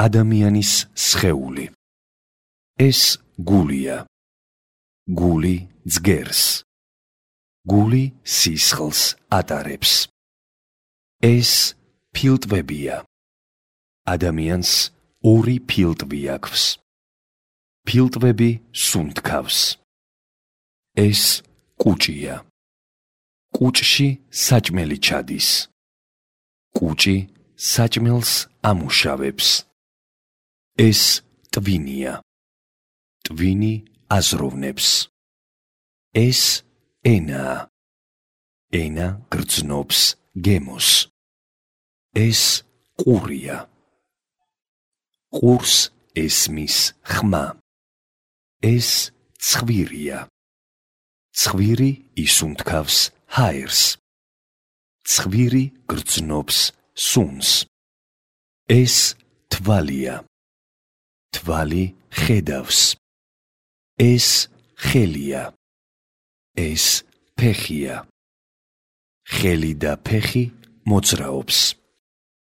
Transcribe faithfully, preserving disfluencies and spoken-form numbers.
ადამიანის სხეული. ეს გულია. გული ძგერს. გული სისხლს ატარებს. ეს ფილტვებია. ადამიანს ორი ფილტვი აქვს. ფილტვები სუნთქავს. ეს კუჭია. კუჭში საჭმელი ჩადის. კუჭი საჭმელს ამუშავებს. ეს ტვინია. ტვინი აზროვნებს. ეს ენაა. ენა გრძნობს გემოს. ეს ყურია. ყურს ესმის ხმა. ეს ცხვირია. ცხვირი ისუნთქავს ჰაერს. ცხვირი გრძნობს სუნს. ეს თვალია. თვალი ხედავს. ეს ხელია. ეს ფეხია. ხელი და ფეხი მოძრაობს.